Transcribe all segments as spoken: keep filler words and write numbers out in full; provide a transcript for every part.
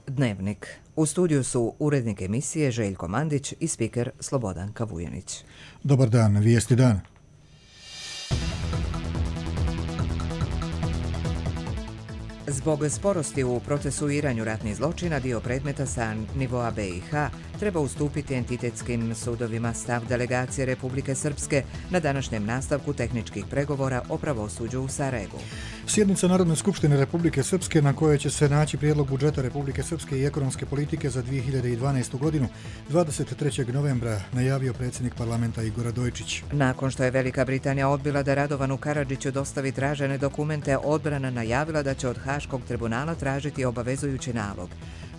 Dnevnik. U studiju su urednik emisije Željko Mandić i spiker Slobodanka Vujanić. Dobar dan, vijesti dana. Zbog sporosti u procesuiranju ratnih zločina dio predmeta sa nivoa B i H treba ustupiti entitetskim sudovima. Stav delegacije Republike Srpske na današnjem nastavku tehničkih pregovora o pravosuđu u Sarajevu. Sjednica Narodne skupštine Republike Srpske na kojoj će se naći prijedlog budžeta Republike Srpske i ekonomske politike za dvije hiljade dvanaestu. godinu dvadeset trećeg novembra najavio predsjednik parlamenta Igor Radojčić. Nakon što je Velika Britanija odbila da Radovanu Karadžiću dostavi tražene dokumente, odbrana najavila da će od Haškog tribunala tražiti obavezujući nalog.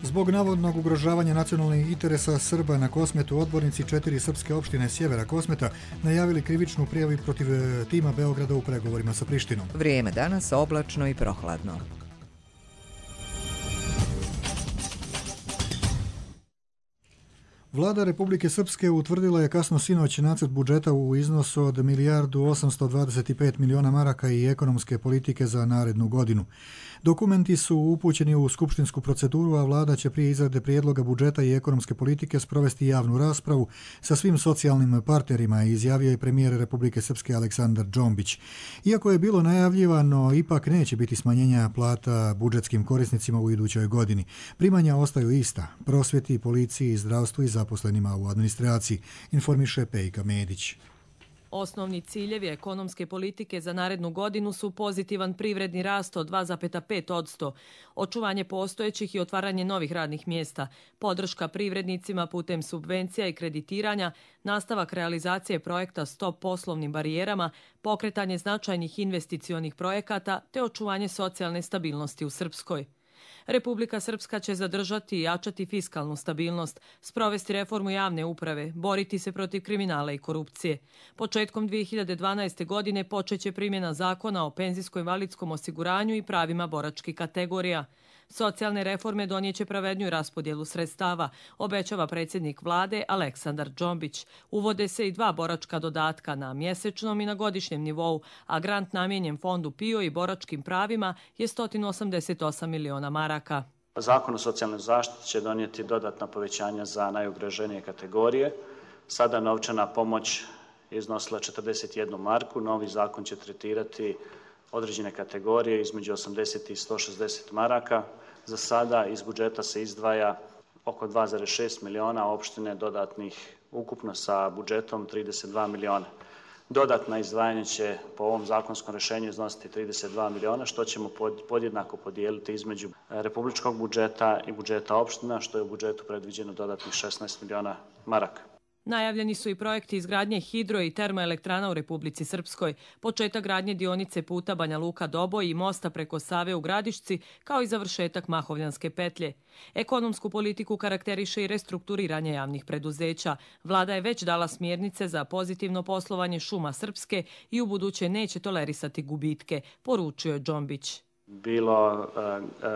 Zbog navodnog ugrožavanja nacionalnih interesa Srba na Kosmetu, odbornici četiri srpske opštine sjevera Kosmeta najavili krivičnu prijavu protiv tima Beograda u pregovorima sa Prištinom. Vrijeme danas oblačno i prohladno. Vlada Republike Srpske utvrdila je kasno sinoć nacrt budžeta u iznosu od milijardu osamsto dvadeset pet miliona maraka i ekonomske politike za narednu godinu. Dokumenti su upućeni u skupštinsku proceduru, a vlada će prije izrade prijedloga budžeta i ekonomske politike sprovesti javnu raspravu sa svim socijalnim partnerima, izjavio je premijer Republike Srpske Aleksandar Džombić. Iako je bilo najavljivano, ipak neće biti smanjenja plata budžetskim korisnicima u idućoj godini. Primanja ostaju ista, prosvjeti, policiji, zdravstvu i zaposlenima u administraciji, informiše Pejka Medić. Osnovni ciljevi ekonomske politike za narednu godinu su pozitivan privredni rast od dva zarez pet posto, očuvanje postojećih i otvaranje novih radnih mjesta, podrška privrednicima putem subvencija i kreditiranja, nastavak realizacije projekta Stop poslovnim barijerama, pokretanje značajnih investicionih projekata te očuvanje socijalne stabilnosti u Srpskoj. Republika Srpska će zadržati i jačati fiskalnu stabilnost, sprovesti reformu javne uprave, boriti se protiv kriminala i korupcije. Početkom dvije hiljade dvanaeste. godine počeće primjena zakona o penzijsko-invalidskom osiguranju i pravima boračkih kategorija. Socijalne reforme donijeće pravedniju raspodjelu sredstava, obećava predsjednik vlade Aleksandar Džombić. Uvode se i dva boračka dodatka na mjesečnom i na godišnjem nivou, a grant namijenjen fondu P I O i boračkim pravima je sto osamdeset osam miliona maraka. Zakon o socijalnoj zaštiti će donijeti dodatna povećanja za najugroženije kategorije. Sada novčana pomoć iznosila četrdeset jednu marku, novi zakon će tretirati određene kategorije između osamdeset i sto šezdeset maraka. Za sada iz budžeta se izdvaja oko dva zarez šest miliona, opštine dodatnih ukupno sa budžetom trideset dva miliona. Dodatna izdvajanja će po ovom zakonskom rješenju iznositi trideset dva miliona, što ćemo podjednako podijeliti između republičkog budžeta i budžeta opština, što je u budžetu predviđeno dodatnih šesnaest miliona maraka. Najavljeni su i projekti izgradnje hidro i termoelektrana u Republici Srpskoj, početak gradnje dionice puta Banja Luka-Doboj i mosta preko Save u Gradišci, kao i završetak Mahovljanske petlje. Ekonomsku politiku karakteriše i restrukturiranje javnih preduzeća. Vlada je već dala smjernice za pozitivno poslovanje šuma Srpske i u buduće neće tolerisati gubitke, poručio je Džombić. Bilo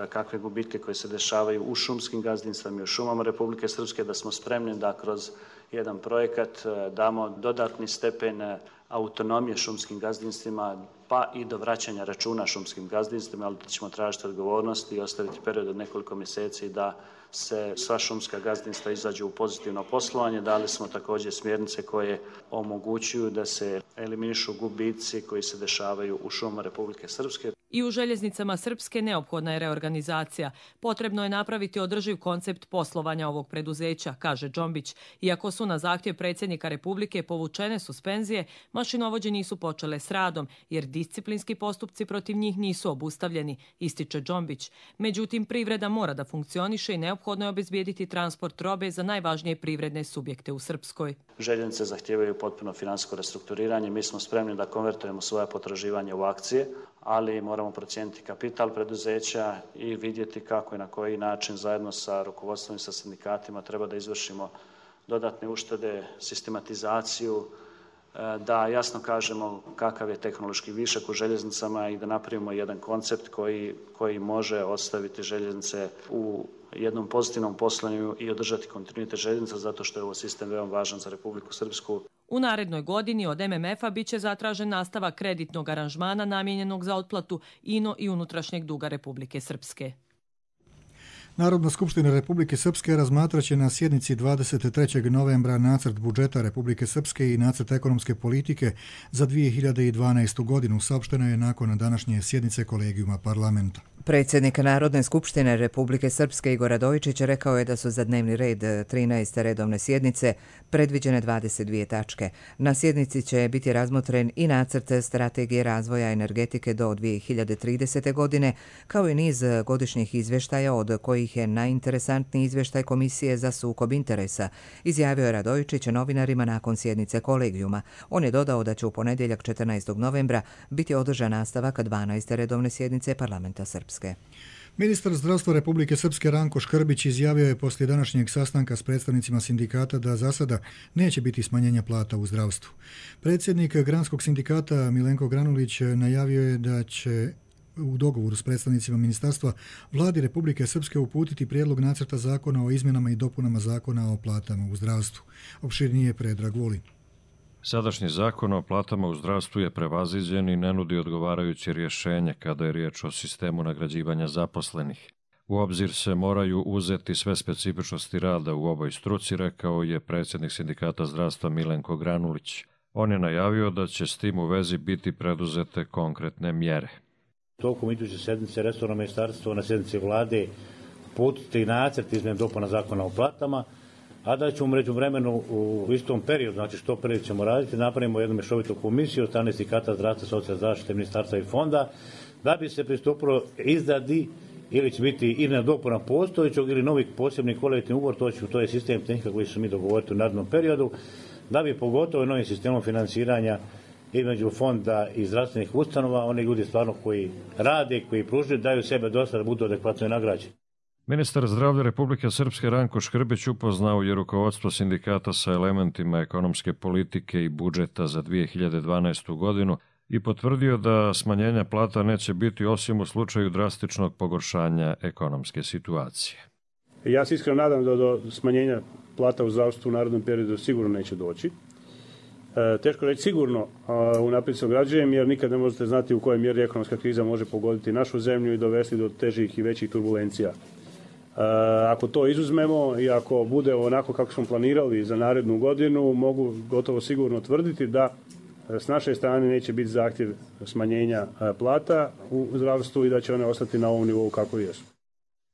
kakve gubitke koje se dešavaju u šumskim gazdinstvima i u šumama Republike Srpske, da smo spremni da kroz jedan projekat damo dodatni stepen autonomije šumskim gazdinstvima, pa i do vraćanja računa šumskim gazdinstvima, ali da ćemo tražiti odgovornost i ostaviti period od nekoliko mjeseci da se sva šumska gazdinstva izađu u pozitivno poslovanje. Dali smo također smjernice koje omogućuju da se eliminišu gubici koji se dešavaju u šumama Republike Srpske. I u željeznicama Srpske neophodna je reorganizacija. Potrebno je napraviti održiv koncept poslovanja ovog preduzeća, kaže Džombić. Iako su na zahtjev predsjednika Republike povučene suspenzije, mašinovođe nisu počele s radom, jer disciplinski postupci protiv njih nisu obustavljeni, ističe Džombić. Međutim, privreda mora da funkcioniše i neophodno je obezbijediti transport robe za najvažnije privredne subjekte u Srpskoj. Željeznice zahtijevaju potpuno financijsko restrukturiranje. Mi smo spremni da konvertujemo svoje potraživanje u akcije, ali moramo procijeniti kapital preduzeća i vidjeti kako i na koji način zajedno sa rukovodstvom i sa sindikatima treba da izvršimo dodatne uštede, sistematizaciju, da jasno kažemo kakav je tehnološki višak u željeznicama i da napravimo jedan koncept koji, koji može ostaviti željeznice u jednom pozitivnom poslovanju i održati kontinuitet željeznica, zato što je ovo sistem veoma važan za Republiku Srpsku. U narednoj godini od M M F-a biće zatražen nastavak kreditnog aranžmana namijenjenog za otplatu ino i unutrašnjeg duga Republike Srpske. Narodna skupština Republike Srpske razmatraće na sjednici dvadeset trećeg novembra nacrt budžeta Republike Srpske i nacrt ekonomske politike za dvije hiljade dvanaestu godinu, saopšteno je nakon današnje sjednice kolegijuma parlamenta. Predsjednik Narodne skupštine Republike Srpske Igor Radojičić rekao je da su za dnevni red trinaeste redovne sjednice predviđene dvadeset dvije tačke. Na sjednici će biti razmotren i nacrt strategije razvoja energetike do dvije hiljade tridesete. godine, kao i niz godišnjih izvještaja, od kojih je najinteresantniji izvještaj Komisije za sukob interesa, izjavio je Radojičić novinarima nakon sjednice kolegijuma. On je dodao da će u ponedjeljak četrnaestog novembra biti održan nastavak dvanaeste redovne sjednice parlamenta Srpske. Ministar zdravstva Republike Srpske Ranko Škrbić izjavio je poslije današnjeg sastanka s predstavnicima sindikata da za sada neće biti smanjenja plata u zdravstvu. Predsjednik Granskog sindikata Milenko Granulić najavio je da će u dogovoru s predstavnicima ministarstva Vladi Republike Srpske uputiti prijedlog nacrta zakona o izmjenama i dopunama zakona o platama u zdravstvu. Opširnije Predrag Vulin. Sadašnji zakon o platama u zdravstvu je prevaziđen i ne nudi odgovarajuće rješenje kada je riječ o sistemu nagrađivanja zaposlenih. U obzir se moraju uzeti sve specifičnosti rada u ovoj struci, rekao je predsjednik sindikata zdravstva Milenko Granulić. On je najavio da će s tim u vezi biti preduzete konkretne mjere. Tokom iduće sedmice resorno ministarstvo na sjednici vlade uputiti nacrt izmjena dopuna zakona o platama, a da ćemo u međuvremenu u istom periodu, znači što prije ćemo raditi, napravimo jednu mješovitu komisiju od strane sindikata zdravstva, socijalne zaštite, ministarstva i fonda, da bi se pristupilo izradi ili će biti izmjena dopuna postojećeg ili novih posebnih kolektivnih ugovor, to, će, to je sistem tehnika koji su mi dogovoriti u narednom periodu, da bi pogotovo novim sistemom financiranja između fonda i zdravstvenih ustanova, oni ljudi stvarno koji rade, koji pružaju, daju sebe dosta da budu adekvatno nagrađeni. Ministar zdravlja Republike Srpske Ranko Škrbić upoznao je rukovodstvo sindikata sa elementima ekonomske politike i budžeta za dvije hiljade dvanaestu. godinu i potvrdio da smanjenja plata neće biti osim u slučaju drastičnog pogoršanja ekonomske situacije. Ja se iskreno nadam da do smanjenja plata u zdravstvu u narednom periodu sigurno neće doći. E, teško reći sigurno unaprijed se ograđujem, jer nikad ne možete znati u kojoj mjeri ekonomska kriza može pogoditi našu zemlju i dovesti do težih i većih turbulencija. E, ako to izuzmemo i ako bude onako kako smo planirali za narednu godinu, mogu gotovo sigurno tvrditi da s naše strane neće biti zahtjev smanjenja plata u zdravstvu i da će one ostati na ovom nivou kako jesu.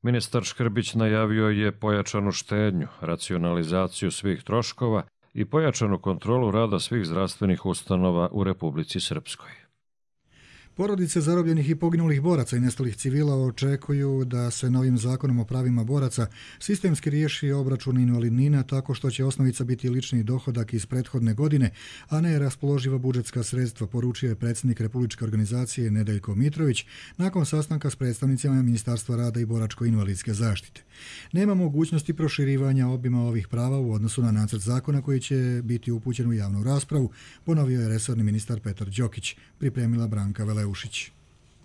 Ministar Škrbić najavio je pojačanu štednju, racionalizaciju svih troškova i pojačanu kontrolu rada svih zdravstvenih ustanova u Republici Srpskoj. Porodice zarobljenih i poginulih boraca i nestalih civila očekuju da se novim zakonom o pravima boraca sistemski riješi obračun invalidnina tako što će osnovica biti lični dohodak iz prethodne godine, a ne raspoloživa budžetska sredstva, poručio je predsjednik Republičke organizacije Nedeljko Mitrović nakon sastanka s predstavnicima Ministarstva rada i boračko-invalidske zaštite. Nema mogućnosti proširivanja obima ovih prava u odnosu na nacrt zakona koji će biti upućen u javnu raspravu, ponovio je resorni ministar Petar Đokić, pripremila Branka Veleušić.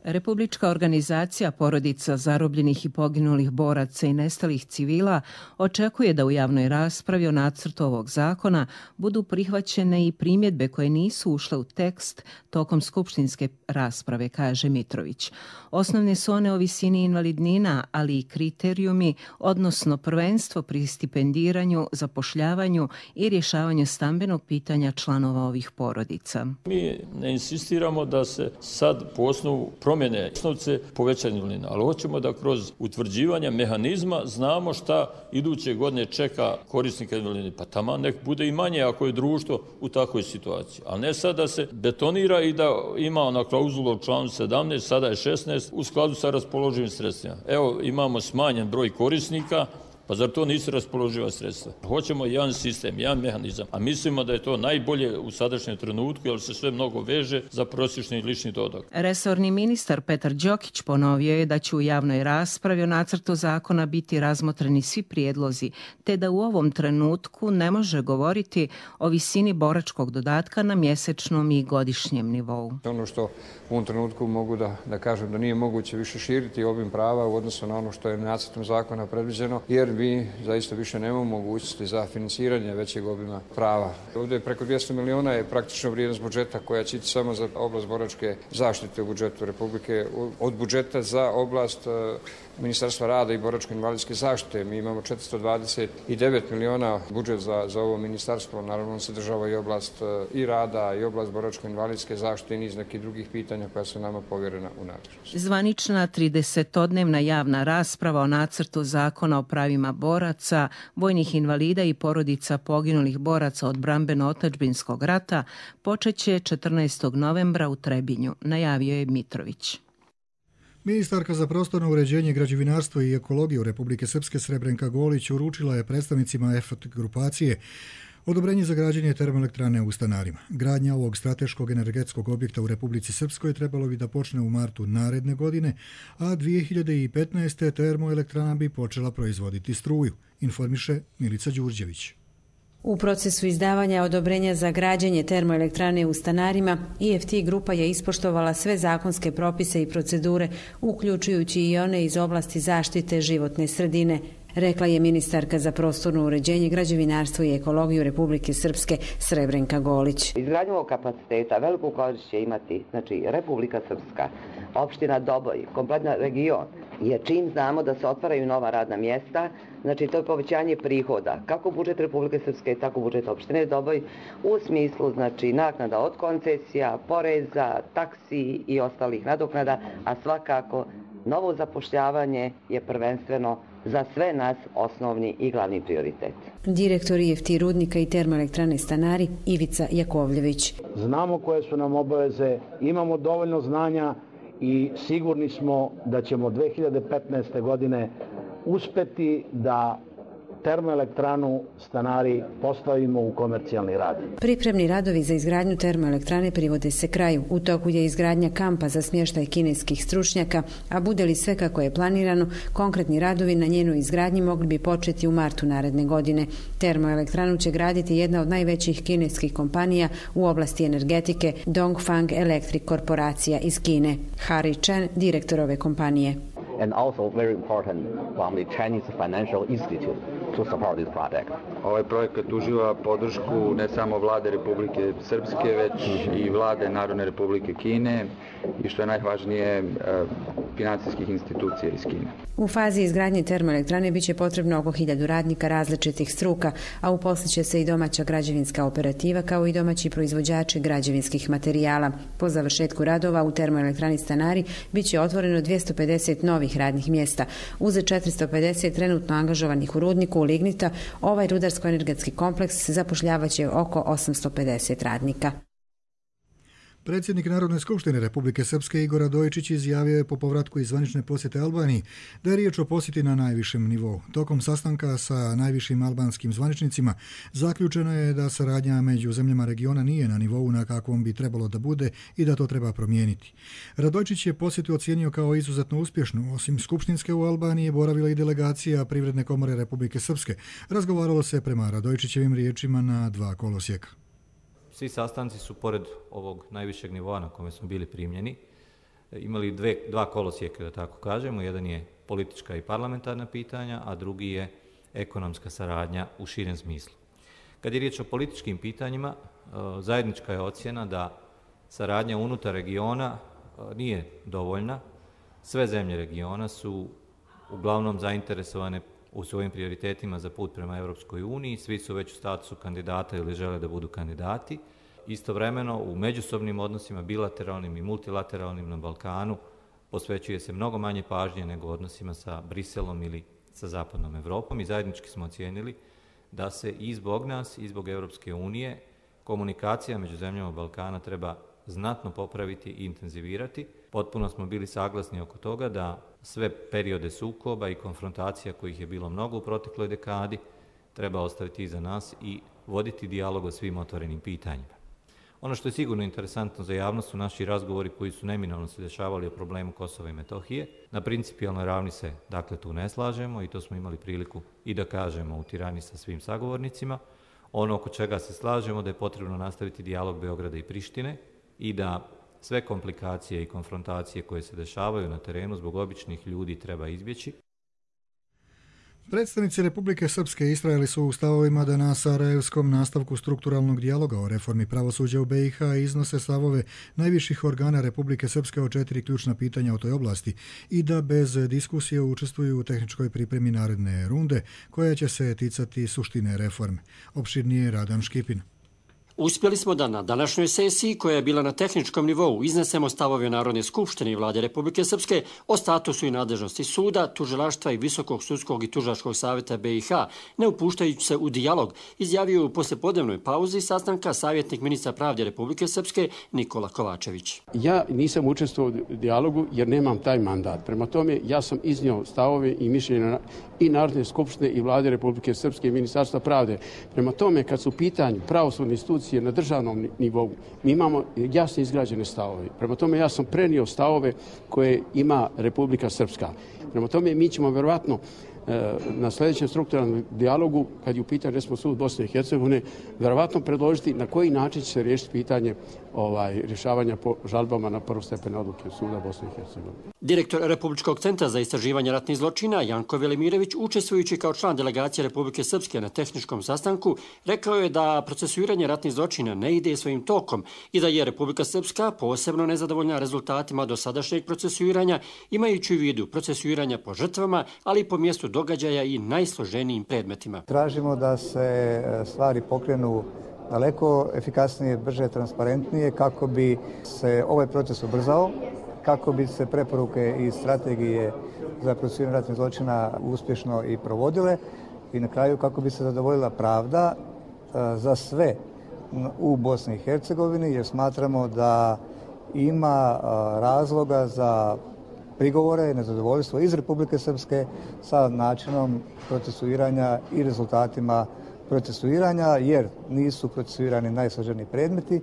Republička organizacija porodica zarobljenih i poginulih boraca i nestalih civila očekuje da u javnoj raspravi o nacrtu ovog zakona budu prihvaćene i primjedbe koje nisu ušle u tekst tokom skupštinske rasprave, kaže Mitrović. Osnovne su one o visini invalidnina, ali i kriterijumi, odnosno prvenstvo pri stipendiranju, zapošljavanju i rješavanju stambenog pitanja članova ovih porodica. Mi ne insistiramo da se sad po osnovu promjene osnovce povećanje invalidnina, ali hoćemo da kroz utvrđivanje mehanizma znamo šta iduće godine čeka korisnika invalidnine. Pa tamo nek bude i manje ako je društvo u takvoj situaciji. A ne sad da se betonira i da ima ona klauzula u članu sedamnaest, sada je šesnaest, u skladu sa raspoloživim sredstvima. Evo, imamo smanjen broj korisnika, pa zar to nisu raspoloživa sredstva? Hoćemo jedan sistem, jedan mehanizam, a mislimo da je to najbolje u sadašnjem trenutku, jer se sve mnogo veže za prosječni lični dohodak. Resorni ministar Petar Đokić ponovio je da će u javnoj raspravi o nacrtu zakona biti razmotreni svi prijedlozi, te da u ovom trenutku ne može govoriti o visini boračkog dodatka na mjesečnom i godišnjem nivou. Ono što u ovom trenutku mogu da, da kažem da nije moguće više širiti obim prava u odnosu na ono što je nacrtom zakona predviđeno, jer mi zaista više nemamo mogućnosti za financiranje većeg obima prava. Ovdje preko dvjesto miliona je praktično vrijednost budžeta koja će ići samo za oblast boračke zaštite u budžetu Republike, od budžeta za oblast Ministarstva rada i boračko-invalidske zaštite. Mi imamo četiristo dvadeset devet miliona budžet za, za ovo ministarstvo. Naravno, on sadržava i oblast i rada, i oblast boračko-invalidske zaštite i niz nekih drugih pitanja koja su nama povjerena u nadležnost. Zvanična tridesetodnevna javna rasprava o nacrtu zakona o pravima boraca, vojnih invalida i porodica poginulih boraca od brambeno-otadžbinskog rata počeće četrnaestog novembra u Trebinju, najavio je Mitrović. Ministarka za prostorno uređenje, građevinarstvo i ekologiju Republike Srpske Srebrenka Golić uručila je predstavnicima E F T grupacije odobrenje za građenje termoelektrane u Stanarima. Gradnja ovog strateškog energetskog objekta u Republici Srpskoj trebalo bi da počne u martu naredne godine, a dvije hiljade petnaeste. termoelektrana bi počela proizvoditi struju, informiše Milica Đurđević. U procesu izdavanja odobrenja za građenje termoelektrane u Stanarima, E F T grupa je ispoštovala sve zakonske propise i procedure, uključujući i one iz oblasti zaštite životne sredine, rekla je ministarka za prostorno uređenje, građevinarstvo i ekologiju Republike Srpske Srebrenka Golić. Izgradnju ovog kapaciteta veliku korist će imati, znači, Republika Srpska, opština Doboj, kompletna region, jer čim znamo da se otvaraju nova radna mjesta, znači to je povećanje prihoda, kako budžet Republike Srpske, tako budžet opštine Doboj, u smislu, znači, naknada od koncesija, poreza, taksi i ostalih nadoknada, a svakako novo zapošljavanje je prvenstveno za sve nas osnovni i glavni prioritet. Direktor E F T rudnika i termoelektrane Stanari Ivica Jakovljević. Znamo koje su nam obaveze, imamo dovoljno znanja i sigurni smo da ćemo dve hiljade petnaeste. godine uspeti da termoelektranu Stanari postavimo u komercijalni rad. Pripremni radovi za izgradnju termoelektrane privode se kraju. U toku je izgradnja kampa za smještaj kineskih stručnjaka, a bude li sve kako je planirano, konkretni radovi na njenoj izgradnji mogli bi početi u martu naredne godine. Termoelektranu će graditi jedna od najvećih kineskih kompanija u oblasti energetike, Dongfang Electric korporacija iz Kine. Harry Chen, direktor ove kompanije. And also very important from the Chinese Financial Institute to support this project. Ovaj projekat uživa podršku ne samo vlade Republike Srpske, već i vlade Narodne Republike Kine i što je najvažnije financijskih institucija iz Kine. U fazi izgradnje termoelektrane biće potrebno oko hiljadu radnika različitih struka, a uposliće se i domaća građevinska operativa kao i domaći proizvođači građevinskih materijala. Po završetku radova u termoelektrani Stanari biće otvoreno dvjesto pedeset novih radnih mjesta. Uz četiristo pedeset trenutno angažovanih u rudniku lignita, ovaj rudarsko-energetski kompleks zapošljavaće oko osamsto pedeset radnika. Predsjednik Narodne skupštine Republike Srpske Igor Radojičić izjavio je po povratku iz zvanične posjete Albaniji da je riječ o posjeti na najvišem nivou. Tokom sastanka sa najvišim albanskim zvaničnicima zaključeno je da saradnja među zemljama regiona nije na nivou na kakvom bi trebalo da bude i da to treba promijeniti. Radojičić je posjetu ocijenio kao izuzetno uspješnu. Osim skupštinske u Albaniji je boravila i delegacija Privredne komore Republike Srpske. Razgovaralo se prema Radojičićevim riječima na dva kolosijeka. Svi sastanci su, pored ovog najvišeg nivoa na kome smo bili primljeni, imali dve, dva kolosijeka, da tako kažemo. Jedan je politička i parlamentarna pitanja, a drugi je ekonomska saradnja u širem smislu. Kad je riječ o političkim pitanjima, zajednička je ocjena da saradnja unutar regiona nije dovoljna. Sve zemlje regiona su uglavnom zainteresovane u svojim prioritetima za put prema Europskoj uniji, svi su već u statusu kandidata ili žele da budu kandidati. Istovremeno, u međusobnim odnosima, bilateralnim i multilateralnim na Balkanu, posvećuje se mnogo manje pažnje nego odnosima sa Briselom ili sa zapadnom Evropom i zajednički smo ocijenili da se i zbog nas i zbog Europske unije komunikacija među zemljama Balkana treba znatno popraviti i intenzivirati. Potpuno smo bili saglasni oko toga da sve periode sukoba i konfrontacija kojih je bilo mnogo u protekloj dekadi treba ostaviti iza nas i voditi dijalog o svim otvorenim pitanjima. Ono što je sigurno interesantno za javnost su naši razgovori koji su neminovno se dešavali o problemu Kosova i Metohije. Na principijalnoj ravni se dakle tu ne slažemo i to smo imali priliku i da kažemo u Tirani sa svim sagovornicima. Ono oko čega se slažemo da je potrebno nastaviti dijalog Beograda i Prištine i da sve komplikacije i konfrontacije koje se dešavaju na terenu zbog običnih ljudi treba izbjeći. Predstavnici Republike Srpske istrajali su u stavovima da na sarajevskom nastavku strukturalnog dijaloga o reformi pravosuđa u B i H iznose stavove najviših organa Republike Srpske o četiri ključna pitanja o toj oblasti i da bez diskusije učestvuju u tehničkoj pripremi naredne runde koja će se ticati suštine reforme. Opširnije Radan Škipin. Uspjeli smo da na današnjoj sesiji, koja je bila na tehničkom nivou, iznesemo stavove Narodne skupštine i vlade Republike Srpske o statusu i nadležnosti suda, tužilaštva i Visokog sudskog i tužilačkog savjeta B i H, ne upuštajući se u dijalog, izjavio u poslijepodnevnoj pauzi sastanka savjetnik ministra pravde Republike Srpske Nikola Kovačević. Ja nisam učestvovao u dijalogu jer nemam taj mandat. Prema tome, ja sam iznio stavove i mišljenja i Narodne skupštine i vlade Republike Srpske i Ministarstva pravde. Prema tome, kad su u pitanju pravosudne institucije na državnom nivou, mi imamo jasno izgrađene stavove. Prema tome, ja sam prenio stavove koje ima Republika Srpska. Prema tome, mi ćemo verovatno na sljedećem strukturalnom dijalogu, kad je u pitanju recimo sud Bosne i Hercegovine, verovatno predložiti na koji način će se riješiti pitanje ovaj, rješavanja po žalbama na prvostepene odluke suda Bosne i Hercegovine. Direktor Republičkog centra za istraživanje ratnih zločina Janko Velimirović, učestvujući kao član delegacije Republike Srpske na tehničkom sastanku, rekao je da procesuiranje ratnih zločina ne ide svojim tokom i da je Republika Srpska posebno nezadovoljna rezultatima dosadašnjeg procesuiranja, imajući u vidu procesuiranja po žrtvama, ali i po mjestu događaja i najsloženijim predmetima. Tražimo da se stvari pokrenu daleko efikasnije, brže, transparentnije, kako bi se ovaj proces ubrzao, kako bi se preporuke i strategije za procesuiranje ratnih zločina uspješno i provodile i na kraju kako bi se zadovoljila pravda za sve u Bosni i Hercegovini, jer smatramo da ima razloga za prigovore i nezadovoljstvo iz Republike Srpske sa načinom procesuiranja i rezultatima procesuiranja, jer nisu procesuirani najsloženiji predmeti.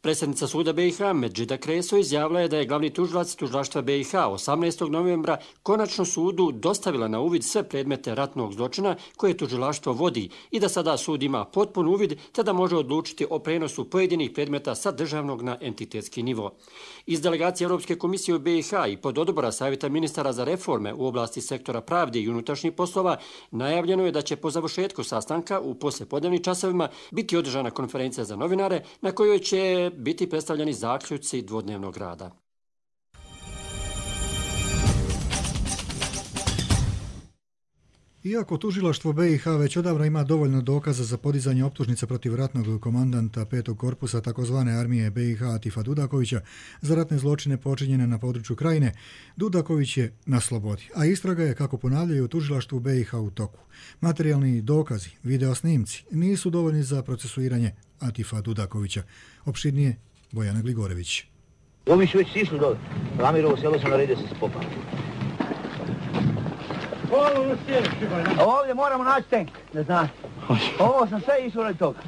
Predsjednica suda B i H Medžida Kreso izjavila je da je glavni tužilac tužilaštva B i H osamnaestog novembra konačno sudu dostavila na uvid sve predmete ratnog zločina koje tužilaštvo vodi i da sada sud ima potpun uvid te da može odlučiti o prenosu pojedinih predmeta sa državnog na entitetski nivo. Iz delegacije Europske komisije u B i H i pod odbora Savjeta ministara za reforme u oblasti sektora pravde i unutrašnjih poslova najavljeno je da će po završetku sastanka u poslijepodnevnim časovima biti održana konferencija za novinare na kojoj će biti predstavljeni zaključci dvodnevnog rada. Iako tužilaštvo B i H već odavno ima dovoljno dokaza za podizanje optužnice protiv ratnog komandanta petog korpusa takozvane armije B i H Atifa Dudakovića za ratne zločine počinjene na području Krajine, Dudaković je na slobodi, a istraga je, kako ponavljaju, u tužilaštvu B i H u toku. Materijalni dokazi, videosnimci nisu dovoljni za procesuiranje Atifa Dudakovića. Opširnije Bojana Gligorević. Ovi su već sišli dole. Ramirovo selo sam naredio se popam. Ovdje moramo naći tank, ne znam. Ovo sam sve išlo radi toga.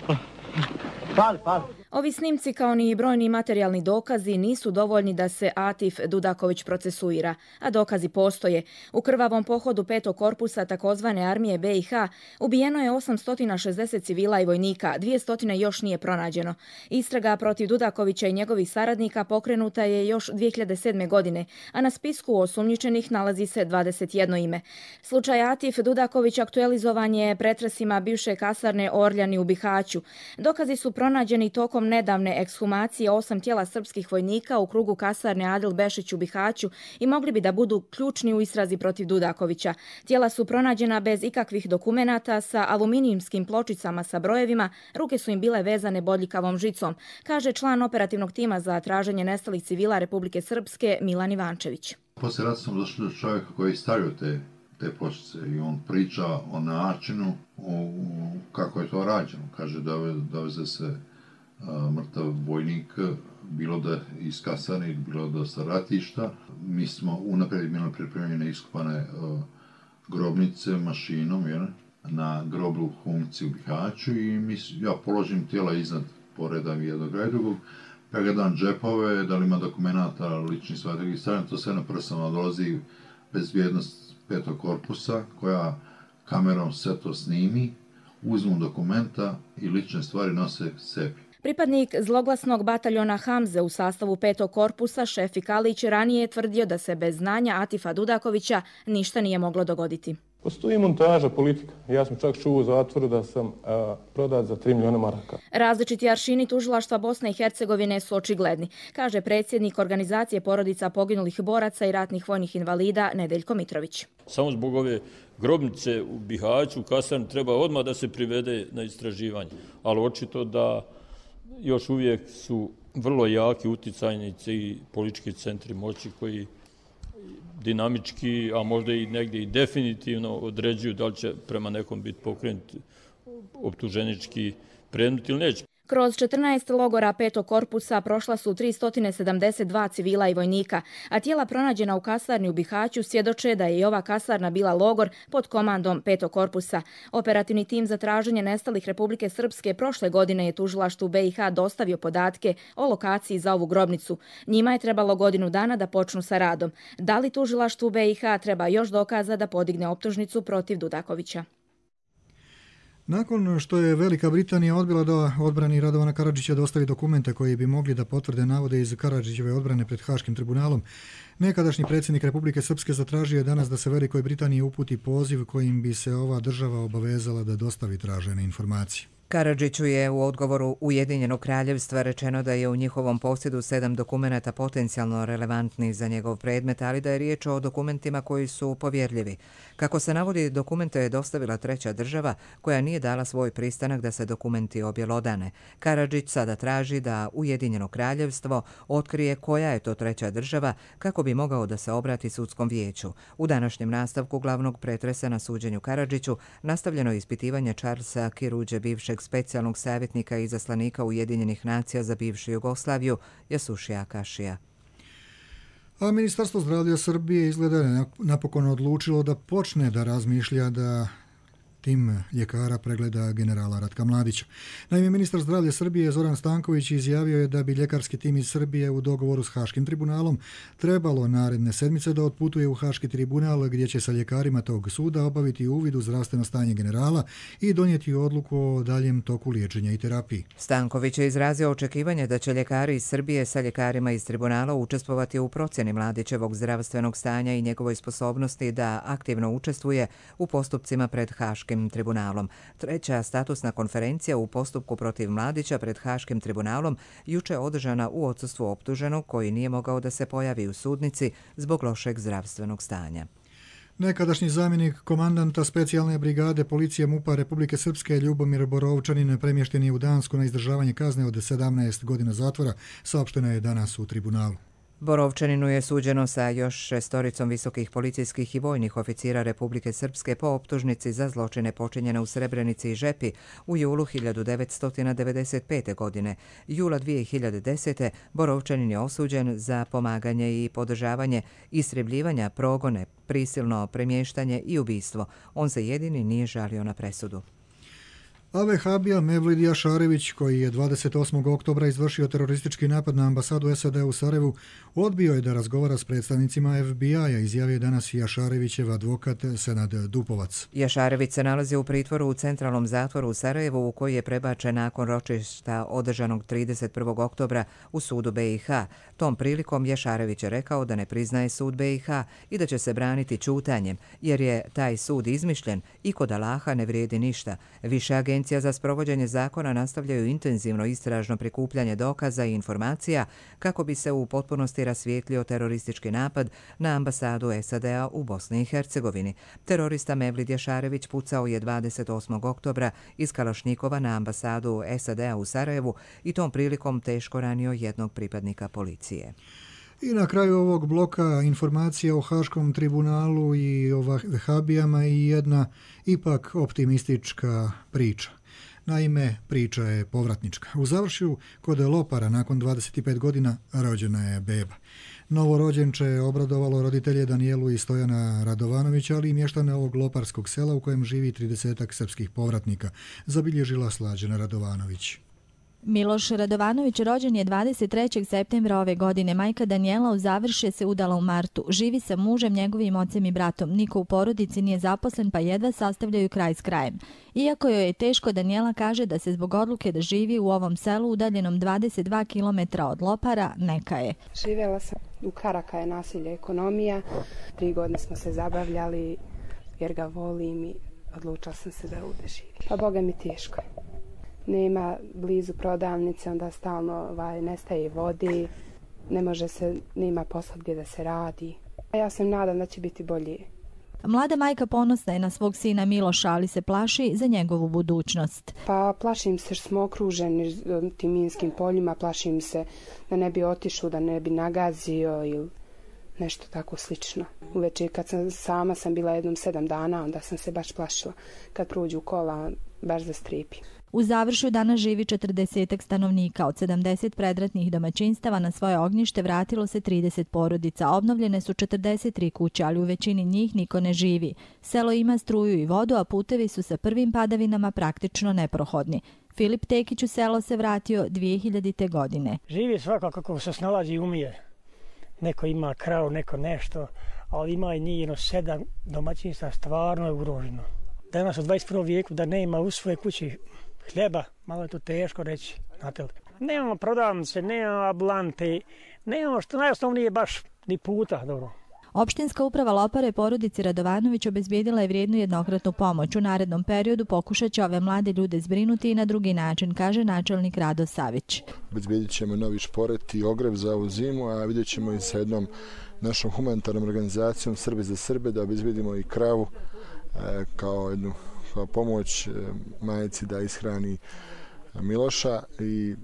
Pali, pali. Ovi snimci, kao ni brojni materijalni dokazi, nisu dovoljni da se Atif Dudaković procesuira, a dokazi postoje. U krvavom pohodu petog korpusa takozvane armije B i H ubijeno je osamsto šezdeset civila i vojnika, dvjesto još nije pronađeno. Istraga protiv Dudakovića i njegovih saradnika pokrenuta je još dvije hiljade sedme. godine, a na spisku osumnjičenih nalazi se dvadeset jedno ime. Slučaj Atif Dudaković aktualizovan je pretresima bivše kasarne Orljani u Bihaću. Dokazi su pronađeni tokom nedavne ekshumacije osam tijela srpskih vojnika u krugu kasarne Adil Bešić u Bihaću i mogli bi da budu ključni u istrazi protiv Dudakovića. Tijela su pronađena bez ikakvih dokumenata sa aluminijumskim pločicama sa brojevima, ruke su im bile vezane bodljikavom žicom, kaže član operativnog tima za traženje nestalih civila Republike Srpske Milan Ivančević. Poslije rata sam došao do čovjeka koji je stavio te, te pločice i on priča o načinu o, kako je to rađeno. Kaže da doveze se mrtav vojnik, bilo da iz kasarne, bilo da sa ratišta. Mi smo unaprijed imali pripremljene iskopane uh, grobnice mašinom, jer, na groblju Humci u Bihaću i mi, ja položim tijela iznad, poredam jednog i drugog, pregledam džepove, da li ima dokumenta, lični stvari, stavljam to sve na prsama, dolazi bezbjednost petog korpusa, koja kamerom sve to snimi, uzmu dokumenta i lične stvari nose sebi. Pripadnik zloglasnog bataljona Hamze u sastavu petog korpusa, Šefik Alić, ranije je tvrdio da se bez znanja Atifa Dudakovića ništa nije moglo dogoditi. Postoji montaža politika. Ja sam čak čuo u zatvoru da sam a, prodat za tri miliona maraka. Različiti aršini tužilaštva Bosne i Hercegovine su očigledni, kaže predsjednik organizacije porodica poginulih boraca i ratnih vojnih invalida Nedeljko Mitrović. Samo zbog ove grobnice u Bihaću, u kasarni, treba odmah da se privede na istraživanje. Ali očito da još uvijek su vrlo jaki uticajnici i politički centri moći koji dinamički, a možda i negdje i definitivno određuju da li će prema nekom biti pokrenut optuženički predmet ili neće. Kroz četrnaest logora petog korpusa prošla su tristo sedamdeset dva civila i vojnika, a tijela pronađena u kasarni u Bihaću svjedoče da je i ova kasarna bila logor pod komandom petog korpusa. Operativni tim za traženje nestalih Republike Srpske prošle godine je tužilaštvu B i H dostavio podatke o lokaciji za ovu grobnicu. Njima je trebalo godinu dana da počnu sa radom. Da li tužilaštvu B i H treba još dokaza da podigne optužnicu protiv Dudakovića? Nakon što je Velika Britanija odbila da odbrani Radovana Karadžića dostavi dokumente koji bi mogli da potvrde navode iz Karadžićeve odbrane pred Haškim tribunalom, nekadašnji predsjednik Republike Srpske zatražio je danas da se Velikoj Britaniji uputi poziv kojim bi se ova država obavezala da dostavi tražene informacije. Karadžiću je u odgovoru Ujedinjenog kraljevstva rečeno da je u njihovom posjedu sedam dokumenata potencijalno relevantnih za njegov predmet, ali da je riječ o dokumentima koji su povjerljivi. Kako se navodi, dokumente je dostavila treća država koja nije dala svoj pristanak da se dokumenti objelodane. Karadžić sada traži da Ujedinjeno kraljevstvo otkrije koja je to treća država kako bi mogao da se obrati sudskom vijeću. U današnjem nastavku glavnog pretresa na suđenju Karadžiću nastavljeno je ispitivanje Charlesa Kiruđe, bivšeg specijalnog savjetnika i izaslanika Ujedinjenih nacija za bivšu Jugoslaviju, Jasušija Kašija. A Ministarstvo zdravlja Srbije izgleda je napokon odlučilo da počne da razmišlja da tim ljekara pregleda generala Ratka Mladića. Naime, ministar zdravlja Srbije Zoran Stanković izjavio je da bi ljekarski tim iz Srbije u dogovoru s Haškim tribunalom trebalo naredne sedmice da otputuje u Haški tribunal gdje će sa ljekarima tog suda obaviti uvid u zdravstveno stanje generala i donijeti odluku o daljem toku liječenja i terapiji. Stanković je izrazio očekivanje da će ljekari iz Srbije sa ljekarima iz tribunala učestvovati u procjeni Mladićevog zdravstvenog stanja i njegovoj sposobnosti da aktivno učestvuje u postupcima pred Haškim tribunalom. Treća statusna konferencija u postupku protiv Mladića pred Haškim tribunalom juče održana u odsustvu optuženog koji nije mogao da se pojavi u sudnici zbog lošeg zdravstvenog stanja. Nekadašnji zamjenik komandanta specijalne brigade policije MUP-a Republike Srpske Ljubomir Borovčanin premješten je u Dansku na izdržavanje kazne od sedamnaest godina zatvora, saopšteno je danas u tribunalu. Borovčaninu je suđeno sa još šestoricom visokih policijskih i vojnih oficira Republike Srpske po optužnici za zločine počinjene u Srebrenici i Žepi u julu hiljadu devetsto devedeset pete. godine. Jula dvije hiljade desete. Borovčanin je osuđen za pomaganje i podržavanje istrebljivanja, progone, prisilno premještanje i ubistvo. On se jedini nije žalio na presudu. A vehabija Mevlid Jašarević, koji je dvadeset osmog oktobra izvršio teroristički napad na ambasadu S A D u Sarajevu, odbio je da razgovara s predstavnicima F B I-a, izjavio je danas Jašarevićev advokat Senad Dupovac. Jašarević se nalazi u pritvoru u centralnom zatvoru u Sarajevu, u koji je prebačen nakon ročišta održanog trideset prvog oktobra u sudu B i H. Tom prilikom Jašarević je rekao da ne priznaje sud B i H i da će se braniti ćutanjem, jer je taj sud izmišljen i kod Allaha ne vrijedi ništa. Više agencija za sprovođenje zakona nastavljaju intenzivno istražno prikupljanje dokaza i informacija kako bi se u potpunosti rasvijetlio teroristički napad na ambasadu S A D-a u Bosni i Hercegovini. Terorista Mevlid Jašarević pucao je dvadeset osmog oktobra iz Kalašnikova na ambasadu S A D-a u Sarajevu i tom prilikom teško ranio jednog pripadnika policije. I na kraju ovog bloka informacija o Haškom tribunalu i o vehabijama i jedna ipak optimistička priča. Naime, priča je povratnička. U Završju kod Lopara nakon dvadeset pet godina rođena je beba. Novorođenče je obradovalo roditelje Danijelu i Stojana Radovanovića, ali i mještane ovog loparskog sela u kojem živi tridesetak srpskih povratnika, zabilježila Slađana Radovanović. Miloš Radovanović rođen je dvadeset trećeg septembra ove godine. Majka Danijela u Završje se udala u martu. Živi sa mužem, njegovim ocem i bratom. Niko u porodici nije zaposlen pa jedva sastavljaju kraj s krajem. Iako joj je teško, Danijela kaže da se zbog odluke da živi u ovom selu udaljenom dvadeset dva kilometra od Lopara neka je. Živjela sam u Karaka je nasilje ekonomija. Tri godine smo se zabavljali. jer ga volim i odlučila sam se da ovdje živim. Pa Boga mi teško. Nema blizu prodavnice, onda stalno ovaj, nestaje vodi, ne može se, nema posla gdje da se radi. A ja sam nadam da će biti bolje. Mlada majka ponosna je na svog sina Miloša, ali se plaši za njegovu budućnost. Pa plašim se što smo okruženi tim minskim poljima, plašim se da ne bi otišao, da ne bi nagazio ili nešto tako slično. Uveče kad sam sama sam bila jednom sedam dana, onda sam se baš plašila. Kad prođu kola, baš zastrijepi. U Završju danas živi četrdesetak stanovnika. Od sedamdeset predratnih domaćinstava na svoje ognjište vratilo se trideset porodica. Obnovljene su četrdeset tri kuće, ali u većini njih niko ne živi. Selo ima struju i vodu, a putevi su sa prvim padavinama praktično neprohodni. Filip Tekić u selo se vratio dvije hiljadite. godine. Živi svako kako se snalazi i umije. Neko ima kravu, neko nešto, ali ima i njih jedno sedam domaćinstva, stvarno je ugroženo. Danas u dvadeset prvom vijeku da nema u svojoj kući hljeba, malo je to teško reći. Znate li? Nemamo prodavnice, nemamo ambulante, nemamo što najosnovnije baš ni puta. Dobro. Opštinska uprava Lopare porodici Radovanović obezbijedila je vrijednu jednokratnu pomoć. U narednom periodu pokušat će ove mlade ljude zbrinuti i na drugi način, kaže načelnik Rado Savić. Obezbijedit ćemo novi šporet i ogrev za ovu zimu, a vidjet ćemo i sa jednom našom humanitarnom organizacijom Srbi za Srbe da obezbijedimo i kravu e, kao jednu kao pomoć e, majici da ishrani Miloša i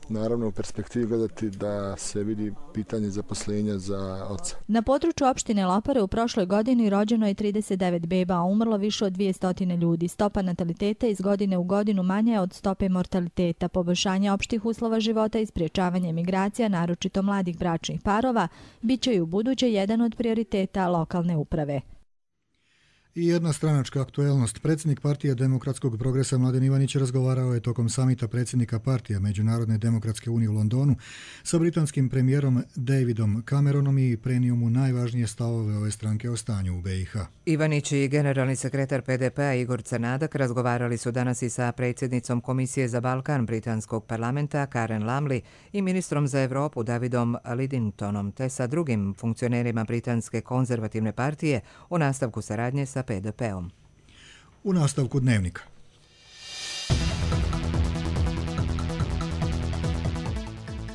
naravno u perspektivi gledati da se vidi pitanje zaposlenja za oca. Na području opštine Lopare u prošloj godini rođeno je trideset devet beba, a umrlo više od dvjesto ljudi. Stopa nataliteta iz godine u godinu manja je od stope mortaliteta. Poboljšanje opštih uslova života i spriječavanje migracija, naročito mladih bračnih parova, bit će i u buduće jedan od prioriteta lokalne uprave. I jedna stranačka aktuelnost. Predsjednik partije Demokratskog progresa Mladen Ivanić razgovarao je tokom samita predsjednika partije Međunarodne demokratske unije u Londonu sa britanskim premijerom Davidom Cameronom i prenio mu najvažnije stavove ove stranke o stanju u B i H. Ivanić i generalni sekretar P D P-a Igor Crnadak razgovarali su danas i sa predsjednicom Komisije za Balkan britanskog parlamenta Karen Lamley i ministrom za Evropu Davidom Lidingtonom te sa drugim funkcionerima britanske konzervativne partije o nastavku saradnje sa P D P-om. U nastavku dnevnika.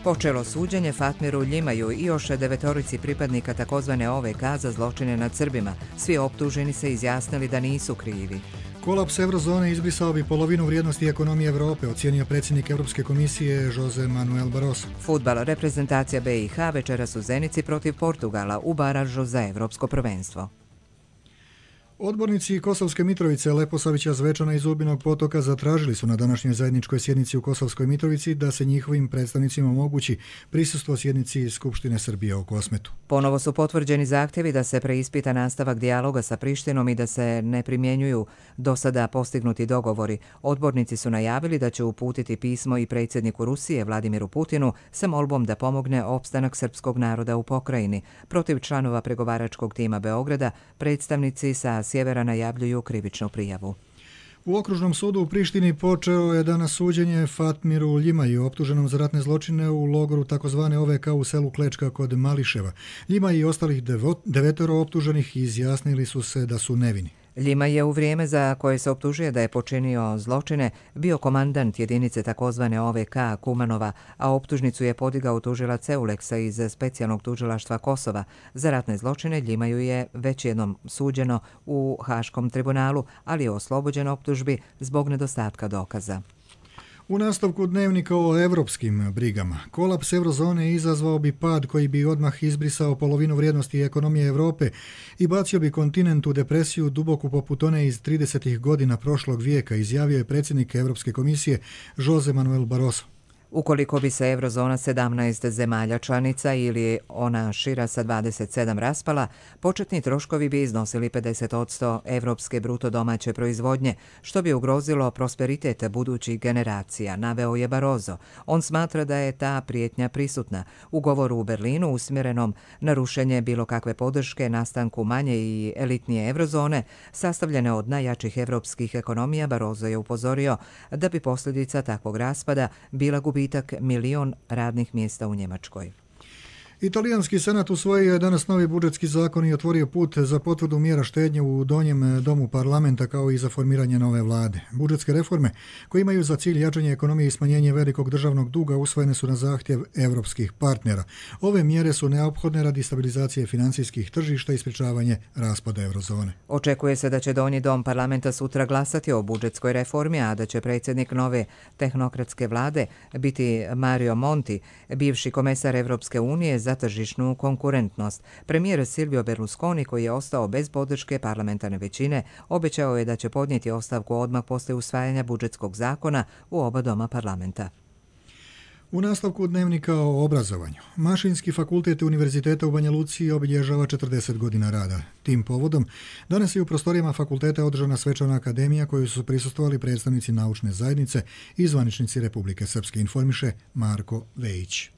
Počelo suđenje Fatmiru Ljimaju i još devetorici pripadnika takozvane O V K za zločine nad Srbima. Svi optuženi se izjasnili da nisu krivi. Kolaps eurozone izbrisao bi polovinu vrijednosti ekonomije Evrope, ocijenio predsjednik Europske komisije Jose Manuel Barroso. Fudbal, reprezentacija B i H večeras u Zenici protiv Portugala u baražu za evropsko prvenstvo. Odbornici Kosovske Mitrovice, Leposavića, Zvečana i Zubinog Potoka zatražili su na današnjoj zajedničkoj sjednici u Kosovskoj Mitrovici da se njihovim predstavnicima omogući prisustvo sjednici Skupštine Srbije u Kosmetu. Ponovo su potvrđeni zahtjevi da se preispita nastavak dijaloga sa Prištinom i da se ne primjenjuju do sada postignuti dogovori. Odbornici su najavili da će uputiti pismo i predsjedniku Rusije Vladimiru Putinu sa molbom da pomogne opstanak srpskog naroda u pokrajini. Protiv članova pregovaračkog tima Beograda predstavnici sa sjevera najavljuju krivičnu prijavu. U okružnom sudu u Prištini počeo je danas suđenje Fatmiru Ljimaju, optuženom za ratne zločine u logoru takozvane O V K u selu Klečka kod Mališeva. Ljimaj i ostalih devetoro optuženih izjasnili su se da su nevini. Ljimaj je u vrijeme za koje se optužuje da je počinio zločine bio komandant jedinice takozvane O V K Kumanova, a optužnicu je podigao tužilac Euleksa iz specijalnog tužilaštva Kosova. Za ratne zločine Ljimaju je već jednom suđeno u Haškom tribunalu, ali je oslobođen optužbi zbog nedostatka dokaza. U nastavku dnevnika o evropskim brigama. Kolaps eurozone izazvao bi pad koji bi odmah izbrisao polovinu vrijednosti ekonomije Evrope i bacio bi kontinent u depresiju duboku poput one iz tridesetih godina prošlog vijeka, izjavio je predsjednik Europske komisije Jose Manuel Barroso. Ukoliko bi se eurozona sedamnaest zemalja članica ili ona šira sa dvadeset sedam raspala, početni troškovi bi iznosili pedeset posto evropske bruto domaće proizvodnje, što bi ugrozilo prosperitet budućih generacija, naveo je Barroso. On smatra da je ta prijetnja prisutna. U govoru u Berlinu usmjerenom na rušenje bilo kakve podrške nastanku manje i elitnije eurozone, sastavljene od najjačih evropskih ekonomija, Barroso je upozorio da bi posljedica takvog raspada bila gubitak milion radnih mjesta u Njemačkoj. Italijanski senat usvojio je danas novi budžetski zakon i otvorio put za potvrdu mjera štednje u donjem domu parlamenta kao i za formiranje nove vlade. Budžetske reforme koje imaju za cilj jačanje ekonomije i smanjenje velikog državnog duga usvojene su na zahtjev evropskih partnera. Ove mjere su neophodne radi stabilizacije financijskih tržišta i sprječavanje raspada eurozone. Očekuje se da će donji dom parlamenta sutra glasati o budžetskoj reformi, a da će predsjednik nove tehnokratske vlade biti Mario Monti, bivši komesar Evropske unije za tržišnu konkurentnost. Premijer Silvio Berlusconi, koji je ostao bez podrške parlamentarne većine, obećao je da će podnijeti ostavku odmah poslije usvajanja budžetskog zakona u oba doma parlamenta. U nastavku dnevnika o obrazovanju, Mašinski fakultet Univerziteta u Banja Luci obilježava četrdeset godina rada. Tim povodom danas je u prostorijama fakulteta održana svečana akademija koju su prisustvovali predstavnici naučne zajednice i zvaničnici Republike Srpske, informiše Marko Vejić.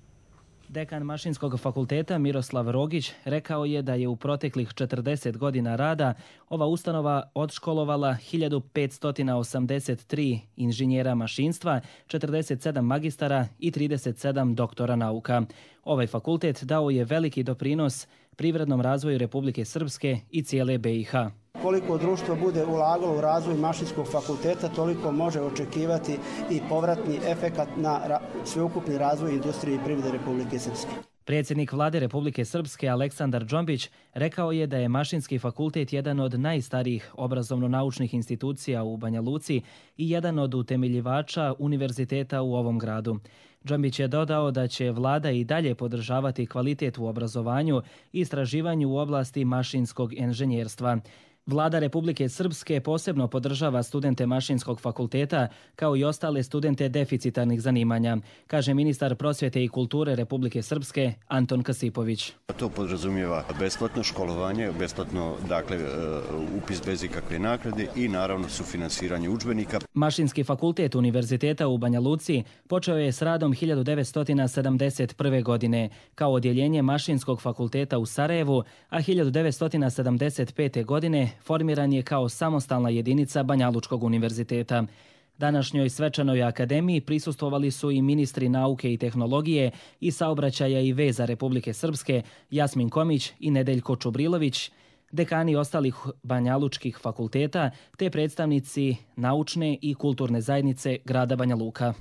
Dekan Mašinskog fakulteta Miroslav Rogić rekao je da je u proteklih četrdeset godina rada ova ustanova odškolovala hiljadu petsto osamdeset tri inženjera mašinstva, četrdeset sedam magistara i trideset sedam doktora nauka. Ovaj fakultet dao je veliki doprinos privrednom razvoju Republike Srpske i cijele be i ha. Koliko društvo bude ulagalo u razvoj Mašinskog fakulteta, toliko može očekivati i povratni efekat na sveukupni razvoj industrije i privrede Republike Srpske. Predsjednik vlade Republike Srpske Aleksandar Džombić rekao je da je Mašinski fakultet jedan od najstarijih obrazovno-naučnih institucija u Banja Luci i jedan od utemeljivača univerziteta u ovom gradu. Džombić je dodao da će vlada i dalje podržavati kvalitet u obrazovanju i istraživanju u oblasti mašinskog inženjerstva. Vlada Republike Srpske posebno podržava studente Mašinskog fakulteta kao i ostale studente deficitarnih zanimanja, kaže ministar prosvjete i kulture Republike Srpske Anton Kasipović. To podrazumijeva besplatno školovanje, besplatno dakle upis bez ikakve naknade i naravno sufinansiranje udžbenika. Mašinski fakultet Univerziteta u Banja Luci počeo je s radom hiljadu devetsto sedamdeset prve. godine kao odjeljenje Mašinskog fakulteta u Sarajevu, a hiljadu devetsto sedamdeset pete. godine formiran je kao samostalna jedinica Banjalučkog univerziteta. Današnjoj svečanoj akademiji prisustvovali su i ministri nauke i tehnologije i saobraćaja i veza Republike Srpske Jasmin Komić i Nedeljko Čubrilović, dekani ostalih banjalučkih fakulteta te predstavnici naučne i kulturne zajednice grada Banja Luka.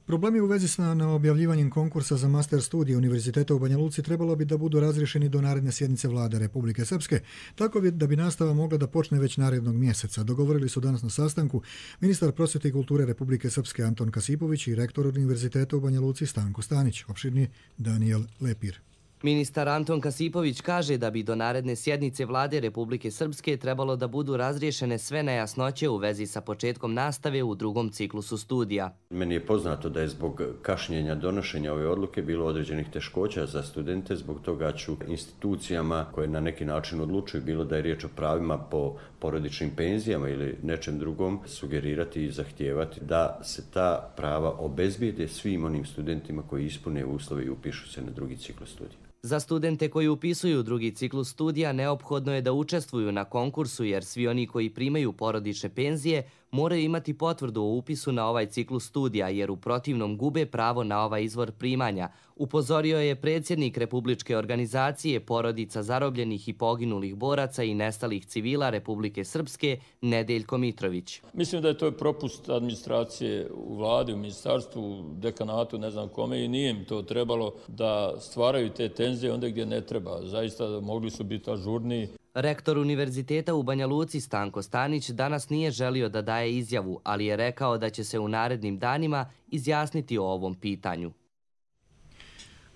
Problemi u vezi sa neobjavljivanjem konkursa za master studije Univerziteta u Banja Luci trebalo bi da budu razriješeni do naredne sjednice vlade Republike Srpske, tako da bi nastava mogla da počne već narednog mjeseca. Dogovorili su danas na sastanku ministar prosvjete i kulture Republike Srpske Anton Kasipović i rektor Univerziteta u Banja Luci Stanko Stanić, opširni Daniel Lepir. Ministar Anton Kasipović kaže da bi do naredne sjednice vlade Republike Srpske trebalo da budu razriješene sve nejasnoće u vezi sa početkom nastave u drugom ciklusu studija. Meni je poznato da je zbog kašnjenja donošenja ove odluke bilo određenih teškoća za studente, zbog toga ću institucijama koje na neki način odlučuju, bilo da je riječ o pravima po porodičnim penzijama ili nečem drugom, sugerirati i zahtijevati da se ta prava obezbijede svim onim studentima koji ispune uslove i upišu se na drugi ciklus studija. Za studente koji upisuju drugi ciklus studija neophodno je da učestvuju na konkursu jer svi oni koji primaju porodične penzije moraju imati potvrdu o upisu na ovaj ciklus studija jer u protivnom gube pravo na ovaj izvor primanja, upozorio je predsjednik Republičke organizacije porodica zarobljenih i poginulih boraca i nestalih civila Republike Srpske Nedeljko Mitrović. Mislim da je to propust administracije u vladi, u ministarstvu, u dekanatu, ne znam kome, i nije im to trebalo da stvaraju te tenzije onda gdje ne treba. Zaista mogli su biti ažurniji. Rektor Univerziteta u Banja Luci Stanko Stanić danas nije želio da daje izjavu, ali je rekao da će se u narednim danima izjasniti o ovom pitanju.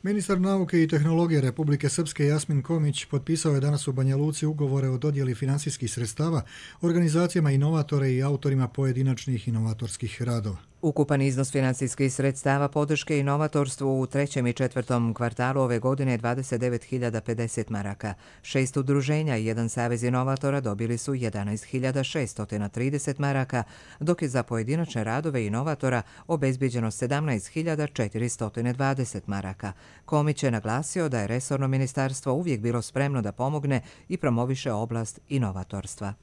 Ministar nauke i tehnologije Republike Srpske Jasmin Komić potpisao je danas u Banja Luci ugovore o dodjeli finansijskih sredstava organizacijama inovatora i autorima pojedinačnih inovatorskih radova. Ukupan iznos financijskih sredstava podrške inovatorstvu u trećem i četvrtom kvartalu ove godine je dvadeset devet hiljada pedeset maraka. Šest udruženja i jedan savez inovatora dobili su jedanaest hiljada šeststo trideset maraka, dok je za pojedinačne radove inovatora obezbiđeno sedamnaest hiljada četiristo dvadeset maraka. Komić je naglasio da je resorno ministarstvo uvijek bilo spremno da pomogne i promoviše oblast inovatorstva.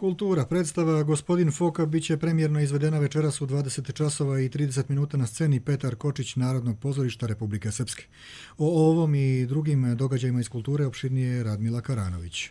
Kultura. Predstava Gospodin Foka bit će premijerno izvedena večeras u dvadeset časova i trideset minuta na sceni Petar Kočić Narodnog pozorišta Republike Srpske. O ovom i drugim događajima iz kulture opširnije Radmila Karanović.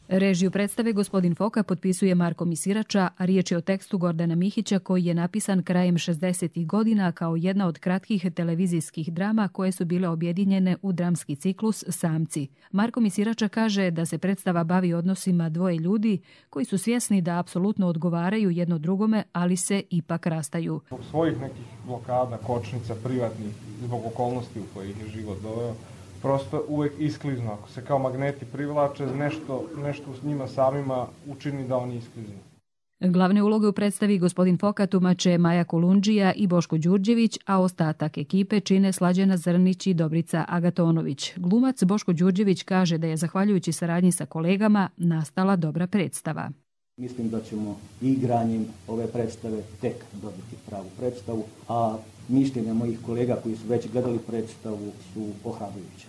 Režiju predstave Gospodin Foka potpisuje Marko Misirača, a riječ je o tekstu Gordana Mihića koji je napisan krajem šezdesetih godina kao jedna od kratkih televizijskih drama koje su bile objedinjene u dramski ciklus Samci. Marko Misirača kaže da se predstava bavi odnosima dvoje ljudi koji su svjesni da apsolutno odgovaraju jedno drugome, ali se ipak rastaju. Zbog svojih nekih blokada, kočnica, privatnih, zbog okolnosti u kojih je život doveo, prosto uvek iskliznu. Ako se kao magneti privlače, nešto, nešto s njima samima učini da oni iskliznu. Glavne uloge u predstavi Gospodin Foka tumače Maja Kolundžija i Boško Đurđević, a ostatak ekipe čine Slađana Zrnić i Dobrica Agatonović. Glumac Boško Đurđević kaže da je zahvaljujući saradnji sa kolegama nastala dobra predstava. Mislim da ćemo igranjem ove predstave tek dobiti pravu predstavu, a mišljenja mojih kolega koji su već gledali predstavu su ohrabrujuće.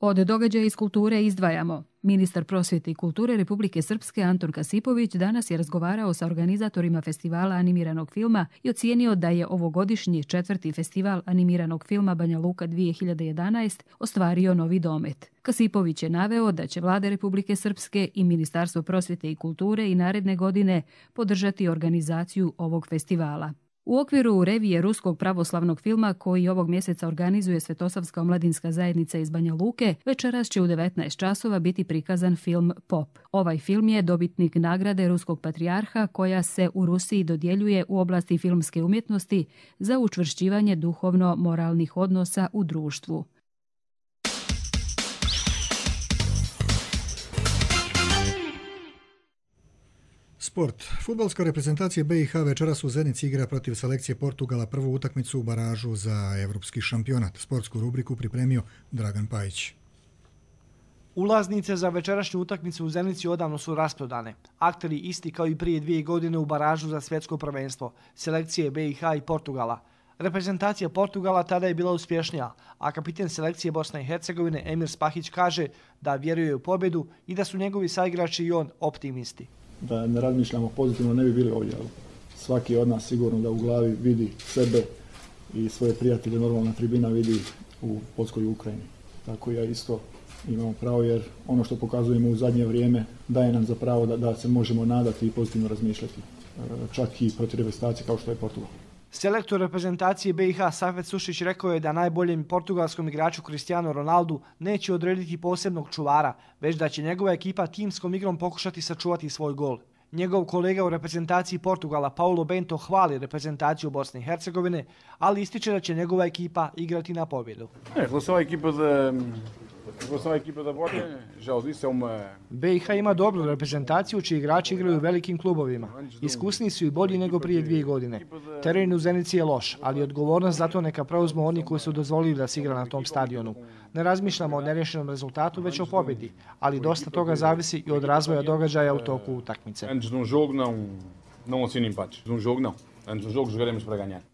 Od događaja iz kulture izdvajamo. Ministar prosvjete i kulture Republike Srpske Anton Kasipović danas je razgovarao sa organizatorima festivala animiranog filma i ocijenio da je ovogodišnji četvrti festival animiranog filma Banja Luka dvije hiljade jedanaest ostvario novi domet. Kasipović je naveo da će Vlada Republike Srpske i Ministarstvo prosvjete i kulture i naredne godine podržati organizaciju ovog festivala. U okviru revije ruskog pravoslavnog filma koji ovog mjeseca organizuje Svetosavska omladinska zajednica iz Banja Luke, večeras će u devetnaest časova biti prikazan film Pop. Ovaj film je dobitnik nagrade Ruskog patrijarha koja se u Rusiji dodjeljuje u oblasti filmske umjetnosti za učvršćivanje duhovno-moralnih odnosa u društvu. Sport. Fudbalska reprezentacija B i H večeras u Zenici igra protiv selekcije Portugala prvu utakmicu u baražu za evropski šampionat. Sportsku rubriku pripremio Dragan Pajić. Ulaznice za večerašnju utakmicu u Zenici odavno su rasprodane. Akteri isti kao i prije dvije godine u baražu za svjetsko prvenstvo, selekcije B i H i Portugala. Reprezentacija Portugala tada je bila uspješnija, a kapiten selekcije Bosne i Hercegovine Emir Spahić kaže da vjeruje u pobjedu i da su njegovi saigrači i on optimisti. Da ne razmišljamo pozitivno, ne bi bili ovdje, ali svaki od nas sigurno da u glavi vidi sebe i svoje prijatelje normalna tribina vidi u Poljskoj i Ukrajini. Tako ja isto imamo pravo jer ono što pokazujemo u zadnje vrijeme daje nam za pravo da, da se možemo nadati i pozitivno razmišljati, čak i protiv reprezentacije kao što je Portugal. Selektor reprezentacije B i H Safet Sušić rekao je da najboljem portugalskom igraču Cristiano Ronaldu neće odrediti posebnog čuvara, već da će njegova ekipa timskom igrom pokušati sačuvati svoj gol. Njegov kolega u reprezentaciji Portugala Paulo Bento hvali reprezentaciju Bosne i Hercegovine, ali ističe da će njegova ekipa igrati na pobjedu. B i H ima dobru reprezentaciju čiji igrači igraju u velikim klubovima. Iskusniji su i bolji nego prije dvije godine. Teren u Zenici je loš, ali odgovornost za to neka preuzmu oni koji su dozvolili da se igra na tom stadionu. Ne razmišljamo o nerješenom rezultatu, već o pobjedi, ali dosta toga zavisi i od razvoja događaja u toku utakmice.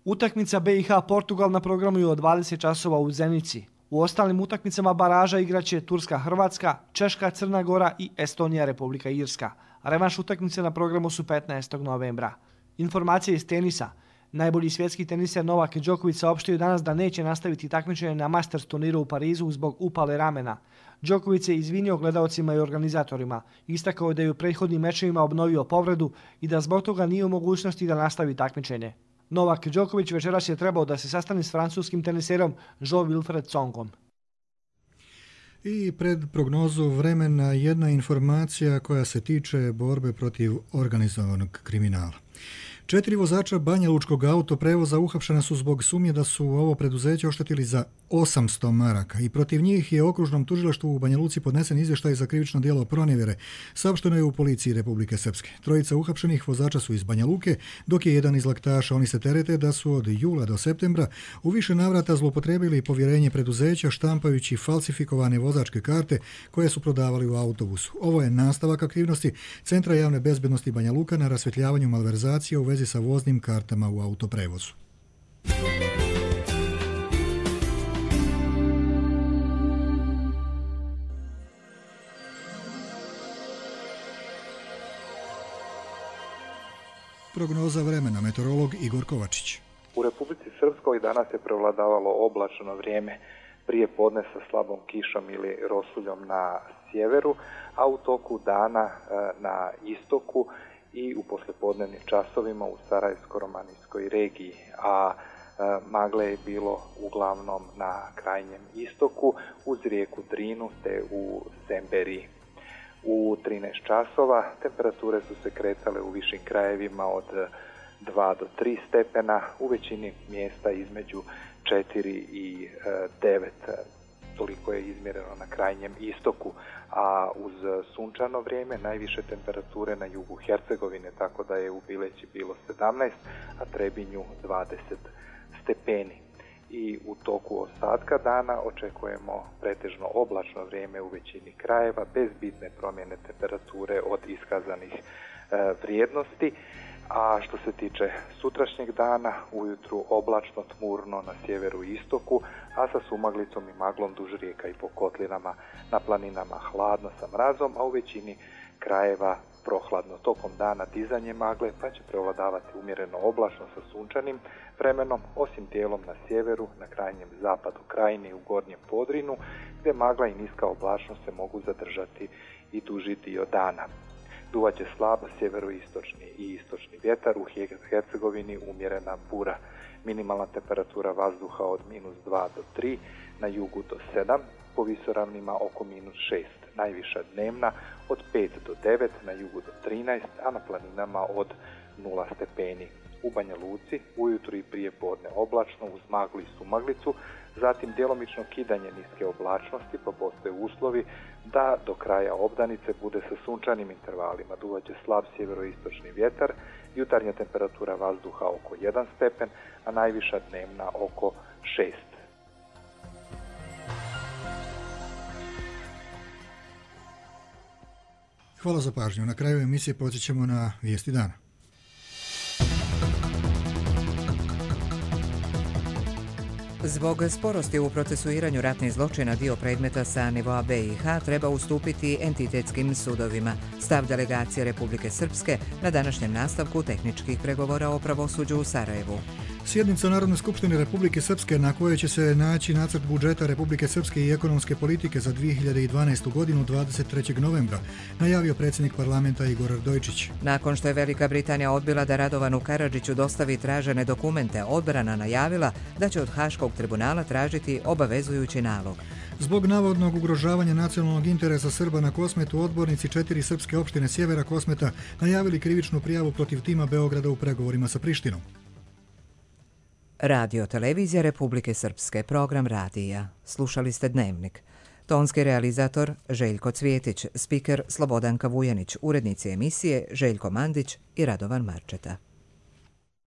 Utakmica B i H Portugal na programu je od dvadeset časova u Zenici. U ostalim utakmicama baraža igraće Turska Hrvatska, Češka Crna Gora i Estonija Republika Irska. Revanš utakmice na programu su petnaestog novembra. Informacije iz tenisa. Najbolji svjetski teniser Novak Đoković saopštio danas da neće nastaviti takmičenje na Masters turniru u Parizu zbog upale ramena. Đoković se izvinio gledaocima i organizatorima. Istakao je da je u prethodnim mečevima obnovio povredu i da zbog toga nije u mogućnosti da nastavi takmičenje. Novak Đoković večeras je trebao da se sastane s francuskim teniserom Jean-Wilfred Tsongom. I pred prognozu vremena jedna informacija koja se tiče borbe protiv organizovanog kriminala. Četiri vozača Banja Lučkog autoprevoza uhapšena su zbog sumnje da su ovo preduzeće oštetili za osamsto maraka i protiv njih je okružnom tužilaštvu u Banja Luci podnesen izvještaj za krivično djelo pronevjere, saopšteno je u policiji Republike Srpske. Trojica uhapšenih vozača su iz Banja Luke, dok je jedan iz Laktaša. Oni se terete da su od jula do septembra u više navrata zloupotrijebili povjerenje preduzeća štampajući falsifikovane vozačke karte koje su prodavali u autobusu. Ovo je nastavak aktivnosti Centra javne bezbednosti Banja Luka na rasvjetljavanju malverzacije u vezi sa voznim kartama u autoprevozu. prognoza vremena, meteorolog Igor Kovačić. U Republici Srpskoj danas je prevladavalo oblačno vrijeme, prije podne sa slabom kišom ili rosuljom na sjeveru, a u toku dana na istoku i u poslijepodnevnim časovima u Sarajevsko-romanijskoj regiji, a magle je bilo uglavnom na krajnjem istoku uz rijeku Drinu te u Semberiji. U trinaest časova temperature su se kretale u višim krajevima od dva do tri stepena, u većini mjesta između četiri i devet. Toliko je izmjereno na krajnjem istoku, a uz sunčano vrijeme najviše temperature na jugu Hercegovine, tako da je u Bileći bilo sedamnaest, a Trebinju dvadeset stepeni. I u toku ostatka dana očekujemo pretežno oblačno vrijeme u većini krajeva bez bitne promjene temperature od iskazanih e, vrijednosti. A što se tiče sutrašnjeg dana, ujutru oblačno tmurno na sjeveru i istoku, a sa sumaglicom i maglom duž rijeka i po kotlinama, na planinama hladno sa mrazom, a u većini krajeva prohladno. Tokom dana dizanje magle, pa će prevladavati umjereno oblačno sa sunčanim vremenom, osim dijelom na sjeveru, na krajnjem zapadu krajine i u gornjem Podrinu, gdje magla i niska oblačnost se mogu zadržati i duži dio dana. Duvaće slab sjeveroistočni i istočni vjetar, u Hercegovini umjerena bura. Minimalna temperatura vazduha od minus dva do tri, na jugu do sedam, po visoravnima oko minus šest. Najviša dnevna od pet do devet, na jugu do trinaest, a na planinama od nula stepeni. U Banja Luci ujutro i prije podne oblačno uz maglu i sumaglicu, zatim djelomično kidanje niske oblačnosti, pa postoje uslovi da do kraja obdanice bude sa sunčanim intervalima. Duvaće slab sjeveroistočni vjetar, jutarnja temperatura vazduha oko jedan stepen, a najviša dnevna oko šest. Hvala za pažnju. Na kraju emisije podsjećamo na vijesti dana. Zbog sporosti u procesuiranju ratnih zločina dio predmeta sa nivoa B i H treba ustupiti entitetskim sudovima. Stav delegacije Republike Srpske na današnjem nastavku tehničkih pregovora o pravosuđu u Sarajevu. Sjednica Narodne skupštine Republike Srpske na kojoj će se naći nacrt budžeta Republike Srpske i ekonomske politike za dvije hiljade dvanaestu godinu dvadeset trećeg novembra, najavio predsjednik parlamenta Igor Ardojčić. Nakon što je Velika Britanija odbila da Radovanu Karadžiću dostavi tražene dokumente, odbrana najavila da će od Haškog tribunala tražiti obavezujući nalog. Zbog navodnog ugrožavanja nacionalnog interesa Srba na Kosmetu, odbornici četiri srpske opštine sjevera Kosmeta najavili krivičnu prijavu protiv tima Beograda u pregovorima sa Prištinom. Radio Televizija Republike Srpske, program radija. Slušali ste Dnevnik. Tonski realizator Željko Cvjetić, spiker Slobodanka Vujanić, urednici emisije Željko Mandić i Radovan Marčeta.